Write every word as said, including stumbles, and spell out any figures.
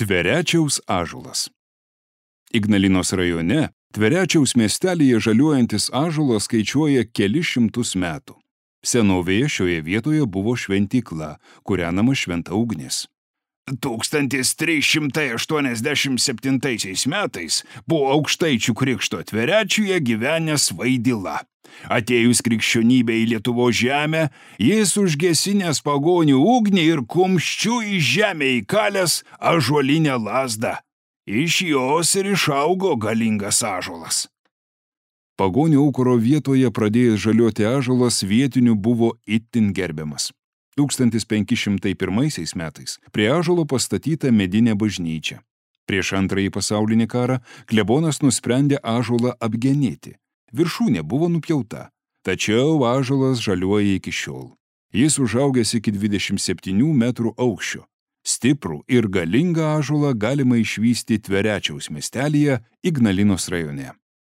Tverečiaus ąžuolas. Ignalinos rajone Tverečiaus miestelyje žaliuojantis ąžuolas skaičiuoja kelis šimtus metų. Senovėje šioje vietoje buvo šventykla, kūrenama šventa ugnis. tūkstantis trys šimtai aštuoniasdešimt septintaisiais metais buvo Aukštaičių krikšto Tverečiuje gyvenęs Vaidila. Atėjus krikščionybei į Lietuvos žemę, jis užgesinęs pagonių ugnį ir kumščiu į žemę įkalęs ąžuolinę lazdą. Iš jos ir išaugo galingas ąžuolas. Pagonių aukuro vietoje pradėjęs žaliuoti ąžuolas vietinių buvo itin gerbiamas. tūkstantis penki šimtai pirmaisiais metais prie ąžuolo pastatyta medinė bažnyčia. Prieš antrąjį pasaulinį karą klebonas nusprendė ąžuolą apgenėti. Viršūnė buvo nupjauta, tačiau ąžuolas žaliuoja iki šiol. Jis užaugęs iki dvidešimt septynių metrų aukščio. Stiprų ir galingą ąžuolą galima išvysti Tverečiaus miestelyje Ignalinos rajone.